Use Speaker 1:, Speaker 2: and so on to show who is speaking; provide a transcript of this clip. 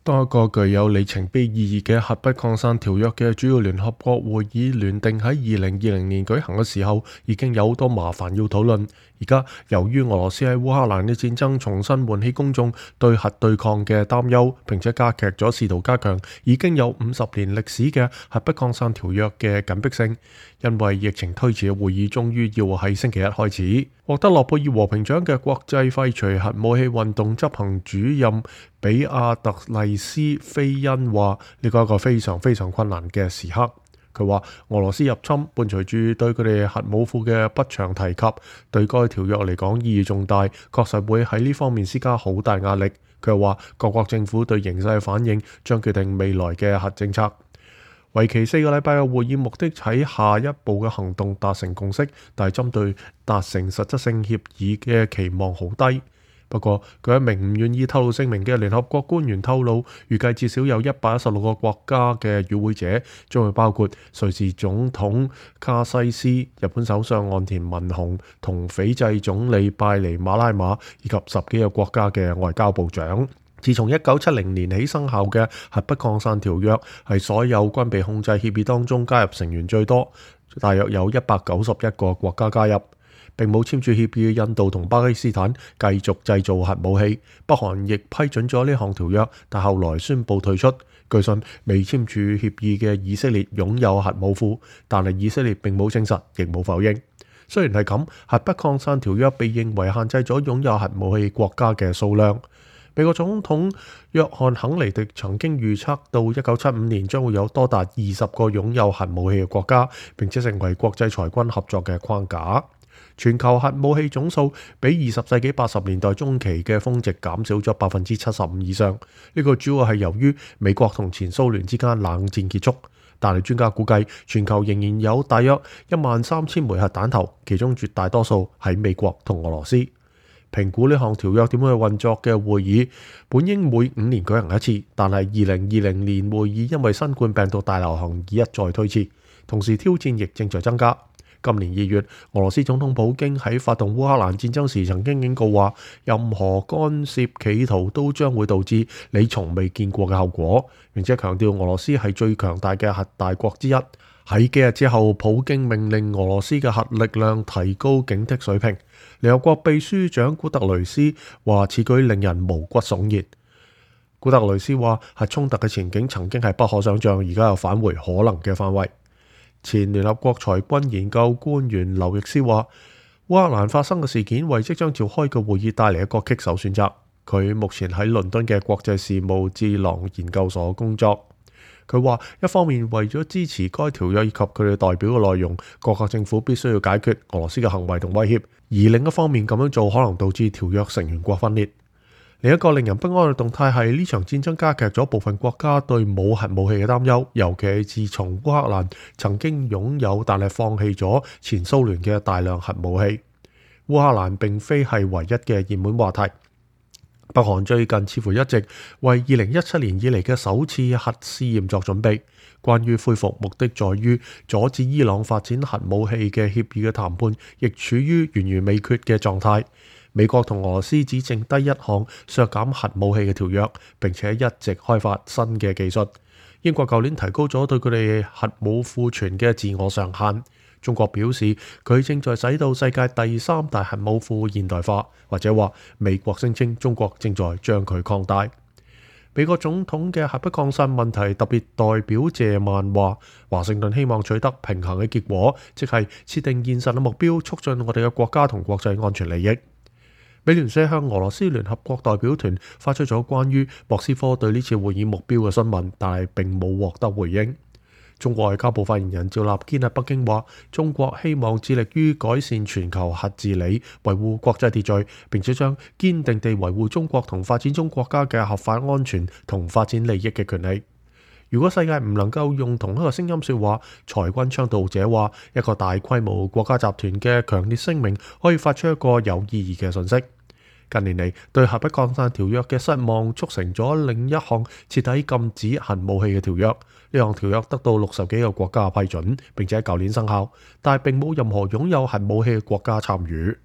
Speaker 1: 當一個具有里程碑意義嘅核不擴散條約嘅主要聯合國會議聯定喺2020年舉行嘅時候，已經有好多麻煩要討論。而家由於俄羅斯喺烏克蘭嘅戰爭重新喚起公眾對核對抗嘅擔憂，並且加劇咗試圖加強已經有50年歷史嘅核不擴散條約嘅緊迫性。因為疫情推遲嘅會議終於要喺星期一開始。獲得諾貝爾和平獎嘅國際廢除核武器運動執行主任比亞特麗斯菲恩話：呢個係一個非常非常困難嘅時刻。佢話俄羅斯入侵伴隨住對佢哋核武庫嘅不詳提及，對該條約嚟講意義重大，確實會喺呢方面施加好大壓力。佢又話各國政府對形勢嘅反應將決定未來嘅核政策。為期4個禮拜嘅會議目的喺下一步嘅行動達成共識，但係針對達成實質性協議嘅期望好低。不過，佢一名唔願意透露姓名嘅聯合國官員透露，預計至少有116個國家嘅與會者，將會包括瑞士總統卡西斯、日本首相岸田文雄同斐濟總理拜尼馬拉馬，以及10幾個國家嘅外交部長。自從1970年起生效嘅核不擴散條約，係所有軍備控制協議當中加入成員最多，大約有191個國家加入。並冇簽署協議嘅印度同巴基斯坦繼續製造核武器，北韓亦批准咗呢項條約，但後來宣布退出。據信未簽署協議嘅以色列擁有核武庫，但係以色列並冇證實，亦冇否認。雖然係咁，核不擴散條約被認為限制咗擁有核武器國家嘅數量。美國總統約翰肯尼迪曾經預測到1975年將會有多達20個擁有核武器嘅國家，並且成為國際裁軍合作嘅框架。全球核武器總數比20世紀80年代中期嘅峰值減少咗75%以上。呢個主要係由於美國同前蘇聯之間冷戰結束。但係專家估計，全球仍然有大約13000枚核彈頭，其中絕大多數喺美國同俄羅斯。評估呢項條約點樣去運作嘅會議，本應每5年舉行一次，但係2020年會議因為新冠病毒大流行而一再推遲，同時挑戰亦正在增加。今年2月，俄羅斯總統普京喺發動烏克蘭戰爭時曾經警告話，任何干涉企圖都將會導致你從未見過嘅後果，並且強調俄羅斯係最強大嘅核大國之一。喺幾日之後，普京命令俄羅斯嘅核力量提高警惕水平。聯合國秘書長古特雷斯話此舉令人毛骨悚然。古特雷斯話核衝突嘅前景曾經係不可想像，而家又返回可能嘅範圍。前聯合國裁軍研究官員劉易斯話，烏克蘭發生嘅事件為即將召開嘅會議帶嚟一個棘手選擇。佢目前喺倫敦嘅國際事務智囊研究所工作。佢話一方面為咗支持該條約以及佢哋代表嘅內容，各國政府必須要解決俄羅斯嘅行為同威脅，而另一方面咁樣做可能導致條約成員國分裂。另一個令人不安嘅動態係呢場戰爭加劇咗部分國家對冇核武器嘅擔憂，尤其係自從烏克蘭曾經擁有但係放棄咗前蘇聯嘅大量核武器。烏克蘭並非係唯一嘅熱門話題。北韓最近似乎一直為2017年以嚟嘅首次核試驗作準備。關於恢復目的在於阻止伊朗發展核武器嘅協議嘅談判，亦處於懸而未決嘅狀態。美國同俄羅斯只剩低一項削減核武器嘅條約，並且一直開發新嘅技術。英國舊年提高咗對佢哋核武庫存嘅自我上限。中國表示佢正在使到世界第3大核武庫現代化，或者話美國聲稱中國正在將佢擴大。美國總統嘅核不擴散問題特別代表謝曼話，華盛頓希望取得平衡嘅結果，即係設定現實嘅目標，促進我哋嘅國家同國際安全利益。美聯社向俄羅斯聯合國代表團發出咗關於莫斯科對呢次會議目標嘅詢問，但係並冇獲得回應。中國外交部發言人趙立堅喺北京話，中國希望致力於改善全球核治理，維護國際秩序，並且將堅定地維護中國同發展中國家嘅合法安全同發展利益嘅權利。如果世界唔能夠用同一個聲音說話，裁軍倡導者話，一個大規模國家集團嘅強烈聲明可以發出一個有意義嘅訊息。近年嚟，對核不擴散條約嘅失望促成咗另一項徹底禁止核武器嘅條約。呢項條約得到60幾個國家批准，並且喺舊年生效，但係並冇任何擁有核武器嘅國家參與。